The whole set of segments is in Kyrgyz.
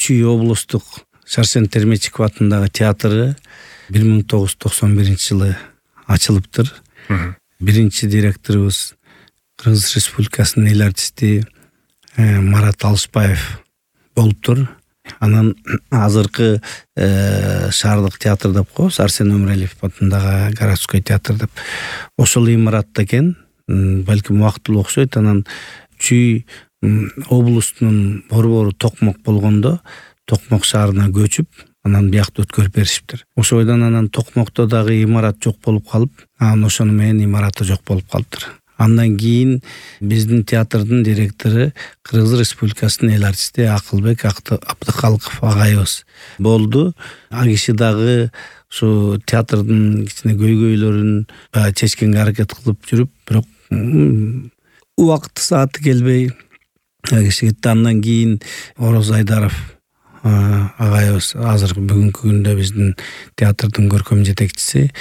Чүй облустук Сарсен Термечиков атындагы театры 1991 жылы ачылыптыр. Биринчи директорубуз Кыргыз Республикасынын эл артисти Марат Алышбаев болуптур. Анан азыркы шаардык театр деп коебуз, Арсен Өмүралиев атындагы городской театр деп. Ошол имаратта экен, балким убактылуу окшойт. Анан Чүй облустунун борбору Токмок болгондо Токмок шаарына көчүп, анан биякта өткөрүп беришиптир. Ошойдон анан Токмокто дагы имарат жок болуп калып, анан ошону менен имараты жок болуп калыптыр. Андан кийин биздин театрдын директору Кыргыз Республикасынын эл артисти Акылбек Абдыкалыков агайыбыз болду. А киши дагы ушу театрдын кичине көйгөйлөрүн чечкенге аракет кылып жүрүп, бирок убакыты сааты келбей киши кетти. Андан кийин Ороз Айдаров агайыбыз азыр бүгүнкү күндө биздин театрдын көркөм жетекчиси.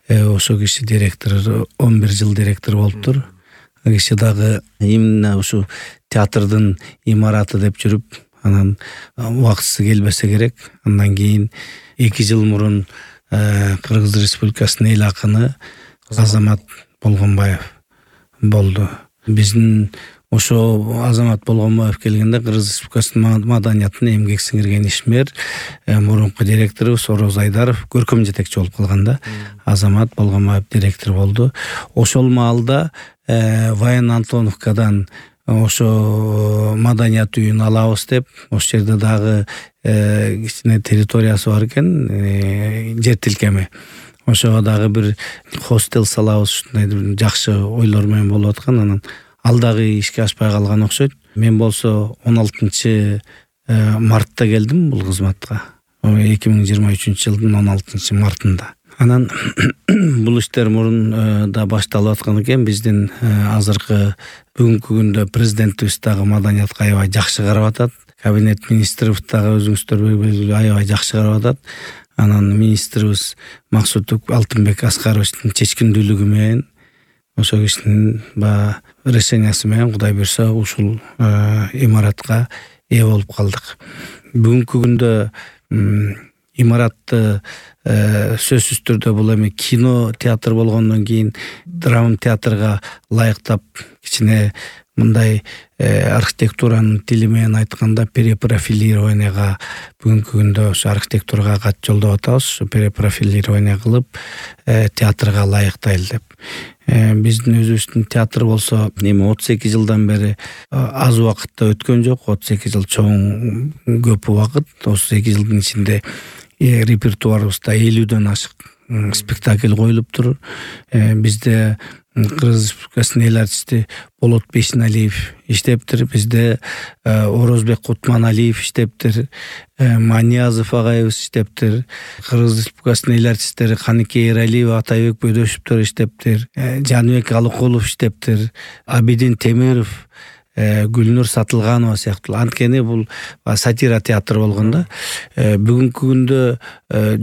Ошо киши директор 11 жыл директор болуптур. Киши дагы именно ушу театрдын имараты деп жүрүп, анан убактысы келбесе керек. Андан кийин 2 жыл мурун Кыргыз Республикасынын эл акыны Азамат Болгонбаев болду. Биздин ошо Азамат Болгонбаев келгенде Кыргыз Республикасынын маданиятына эмгек сиңирген ишмер, мурунку директорубуз Ороз Айдаров көркөм жетекчи болуп калганда, Азамат Болгонбаев директор болду. Ошол маалда Ваян Антоновкадан ошо маданият үйүн алабыз деп, ошол жерде дагы кичине территориясы бар экен, жер тилкеми. Ошого дагы бир хостел салабыз, ушундай жакшы ойлор менен болуп аткан. Анан ал дагы ишке ашпай калган окшойт. Мен болсо 16 мартта келдим бул кызматка. 2023 жылдын 16 мартында. Анан бул иштер мурун да башталып аткан экен. Биздин азыркы бүгүнкү күндө президентибиз дагы маданиятка аябай жакшы карап атат. Кабинет министрибиз дагы өзүңүздөр белгилүү аябай жакшы карап атат. Анан министрибиз Максут Алтынбек Аскаровичтин чечкиндүүлүгү менен, ошо кишинин решениясы менен Кудай буйрса ушул имаратка ээ болуп калдык. Бүгүнкү күндө имаратты сөзсүз түрдө бул эми кино театр болгондон кийин драма театрга ылайыктап кичине мындай архитектуранын тили менен айтканда перепрофилированияга бүгүнкү күндө ошо архитектурага кат жолдоп атабыз. Ошо перепрофилирование кылып театрга ылайыктайлы деп. Биздин өзүбүздүн театр болсо эми 32 жылдан бери аз убакытта өткөн жок. 32 жыл чоң көп убакыт. 32 жылдын ичинде репертуарыбызда 50дөн ашык спектакль коюлуптур. Бизде Кыргыз Республикасынын эл артисти Болот Бейшеналиев иштептир. Бизде Орозбек Кутманалиев иштептир. Маниязов агайыбыз иштептир. Кыргыз Республикасынын эл артисттери Каныкей Эралиев, Атайбек Бөдөшевтөр иштептир. Жаныбек Алыкулов иштептир. Абидин Темиров, Гүлнур Сатылганова сыяктуу. Анткени бул сатира театр болгондо бүгүнкү күндө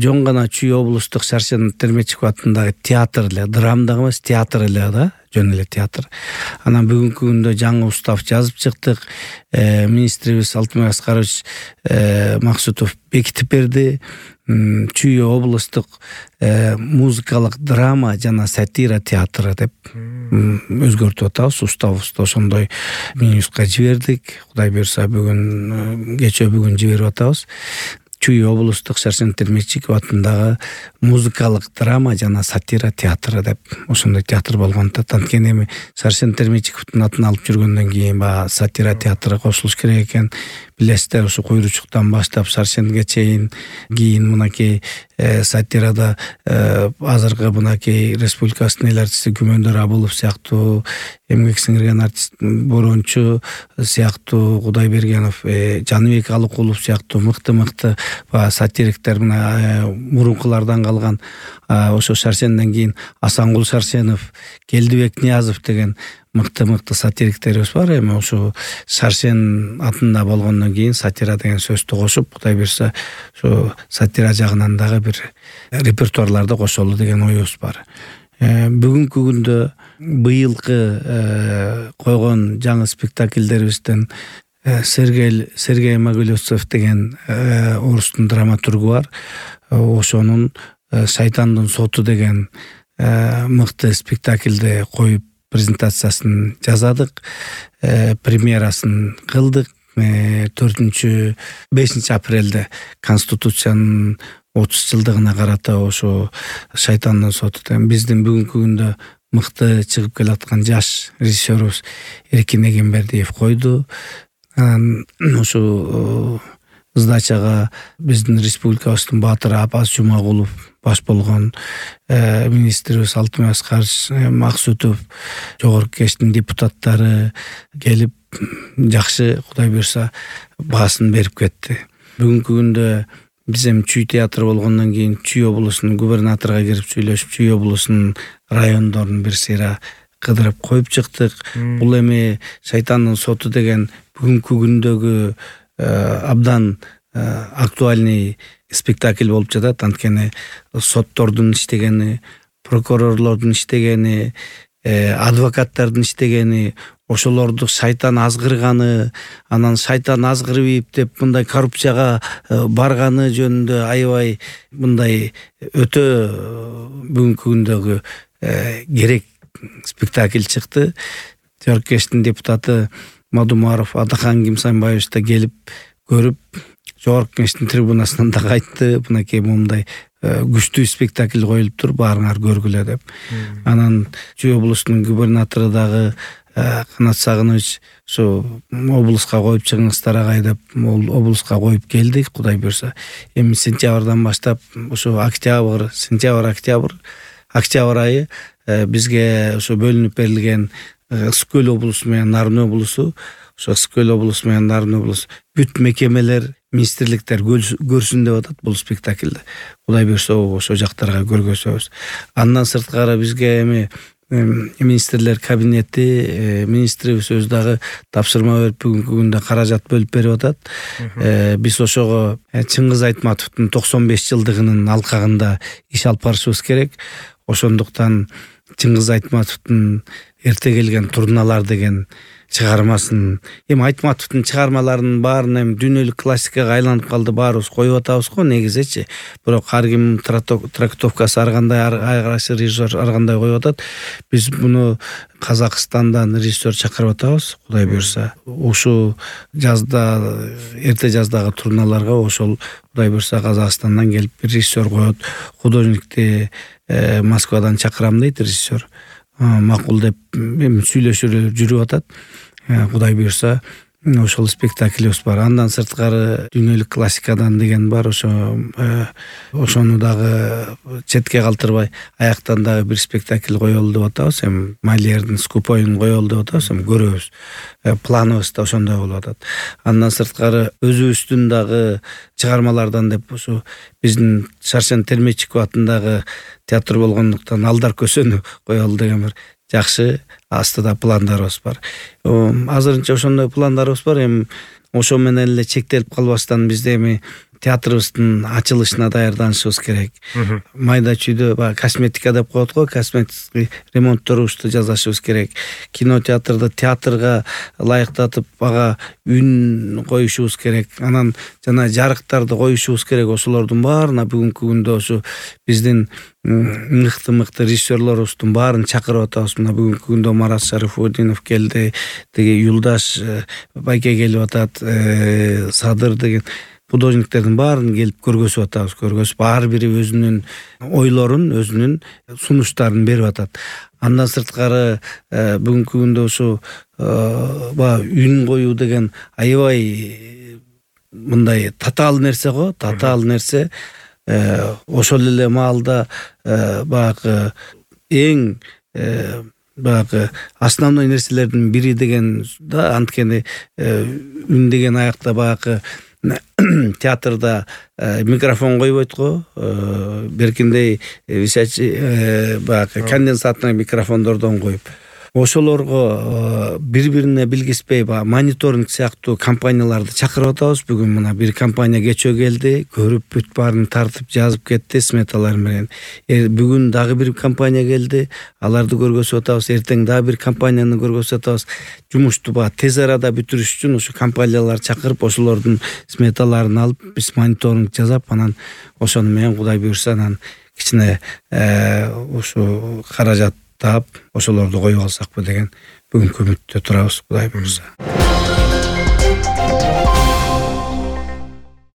жон гана Чүй облустук Сарсен Термечиков атындагы театр эле, драма дагы эмес, театр эле да, жөн эле театр. Анан бүгүнкү күндө жаңы устав жазып чыктык. Министрибиз Алтынбек Аскарович Максутов бекитип берди. Чүй облустук музыкалык драма жана сатира театры деп өзгөртүп атабыз. Уставыбызды ошондой минуска жибердик. Кудай буйрса бүгүн жиберип атабыз. Чүй облустук Сарсен Термечиков атындагы музыкалык драма жана сатира театры деп ошондой театр болгондо, анткени эми Сарсен Термечиковдун атын алып жүргөндөн кийин сатира театры кошулуш керек экен. Билесиздер, ушу Куйручуктан баштап Сарсенге чейин, кийин мынакей сатирада азыркы мынакей республикасынын эл артисти Күмөндөр Абылов сыяктуу, эмгек сиңирген артист Борончу сыяктуу, Кудайбергенов, Жаныбек Алыкулов сыяктуу мыкты сатириктер мына мурункулардан калган. Ошо Сарсенден кийин Асангул Сарсенов, Келдибек Ниязов деген мыкты сатириктерибиз бар. Эми ошо Сарсен атында болгондон кийин сатира деген сөздү кошуп, Кудай буйрса ошо сатира жагынан дагы бир репертуарларды кошолу деген оюбуз бар. Бүгүнкү күндө быйылкы койгон жаңы спектакльдерибизден Сергей Могилевцев деген орустун драматургу бар. Ошонун «Шайтандын соту» деген мыкты спектакльди коюп презентациясын жасадык, премьерасын кылдык. 5 апрелде Конституциянын 30 жылдыгына карата ошо «Шайтандын соту» деген биздин бүгүнкү күндө мыкты чыгып келаткан жаш режиссерубуз Эркин Эгембердиев койду. Ошо сдачага биздин республикабыздын баатыры Апаз Жумагулов баш болгон, министрибиз Алтынбек Аскарович Максутов, жогорку кеңештин депутаттары келип жакшы, Кудай буйрса, баасын берип кетти. Бүгүнкү күндө биз эми Чүй театры болгондон кийин Чүй облусунун губернаторго кирип сүйлөшүп, Чүй облусунун райондорун бир сыйра кыдырып коюп чыктык. Бул эми «Шайтандын соту» деген бүгүнкү күндөгү абдан актуальный спектакль болуп жатат. Анткени соттордун иштегени, прокурорлордун иштегени, адвокаттардын иштегени, ошолорду шайтан азгырганы, анан шайтан азгырбайып деп мындай коррупцияга барганы жөнүндө аябай мындай өтө бүгүнкү күндөгү керек спектакль чыкты. Жогорку кеңештин депутаты Мадумаров Адахан Кимсанбаевич да келип көрүп, жогорку кеңештин трибунасынан да кайтты. Мынакей момундай күчтүү спектакль коюлуптур, баарыңар көргүлө деп. Анан Чүй облусунун губернатору дагы Канат Сагынович ошо облуска коюп чыгыңыздар агай деп, облуска коюп келдик. Кудай буйрса, эми сентябрдан баштап ошо октябрь айы бизге ошо бөлүнүп берилген Ысык Көл облусу менен Нарын облусу, ошо Ысык Көл облусу менен Нарын облусу бүт мекемелер, министрликтер көрсүн деп атат бул спектакльди. Кудай буйрса, ошо жактарга көргөзөбүз. Андан сырткары бизге эми министрлер кабинети, министрибиз өзү дагы тапшырма берип бүгүнкү күндө каражат бөлүп берип атат. Биз ошого Чыңгыз Айтматовдун 95 жылдыгынын алкагында иш алып барышыбыз керек. Ошондуктан Чыңгыз Айтматовдун «Эрте келген турналар» деген чыгармасын, эми Айтматовдун чыгармаларынын баарын эми дүйнөлүк классикага айланып калды, баарыбыз коюп атабыз го негизичи. Бирок ар ким трактовкасы ар кандай, ар кайсы режиссер ар кандай коюп атат. Биз муну Казакстандан режиссер чакырып атабыз. Кудай буйрса, ушул жазда, эрте жаздагы турналарга ошол Кудай буйрса Казакстандан келип бир режиссер коет. Художникти Москвадан чакырам дейт режиссер. Макул деп сүйлөшүп жүрүп атат. Кудай буйрса ошол спектаклибиз бар. Андан сырткары дүйнөлүк классикадан деген бар. Ошону дагы четке калтырбай аяктан дагы бир спектакль коелу деп атабыз. Эми Майлердин «Скупойун» коелу деп атабыз. Эми көрөбүз. Планыбыз да ошондой болуп атат. Андан сырткары өзүбүздүн дагы чыгармалардан деп ошо биздин Шаршен Термечиков атындагы театр болгондуктан «Алдар көсөнү» коелу деген бир жакшы астыда пландарыбыз бар. Азырынча ошондой пландарыбыз бар. Эми ошо менен эле чектелип калбастан бизде эми театрыбыздын ачылышына даярданышыбыз керек. Майда чүйдө косметика деп коет го, косметик ремонтторубузду жасашыбыз керек. Кино театрда театрга ылайыктатып ага үн коюшубуз керек. Анан жана жарыктарды коюшубуз керек. Ошолордун баарына бүгүнкү күндө ошо биздин мыкты режиссерлорубуздун баарын чакырып атабыз. Мына бүгүнкү күндө Марат Шарифудинов келди, деги Юлдаш байке келип атат, Садыр деген художниктердин баарын келип көргөзүп атабыз. Көргөзүп, ар бири өзүнүн ойлорун, өзүнүн сунуштарын берип атат. Андан сырткары бүгүнкү күндө ошо үн коюу деген аябай мындай татаал нерсе го, татаал нерсе. Ошол эле маалда баягы эң баягы основной нерселердин бири деген да, анткени үн деген аякта баягы театрда микрофон койбойт го, беркиндей висячий баягы конденсатный микрофондордон коюп, ошолорго бири-бирине билгиспей баягы мониторинг сыяктуу компанияларды чакырып атабыз. Бүгүн мына бир компания кечөө келди, көрүп бүт баарын тартып жазып кетти сметалар менен. Бүгүн дагы бир компания келди, аларды көргөзүп атабыз. Эртең дагы бир компанияны көргөзүп атабыз. Жумушту баягы тез арада бүтүрүш үчүн ушу компанияларды чакырып, ошолордун сметаларын алып, биз мониторинг жасап, анан ошону менен Кудай буйрса анан кичине ушу каражат таап ошолорду коюп алсакпы деген бүгүнкү үмүттө турабыз, Кудай буйрса.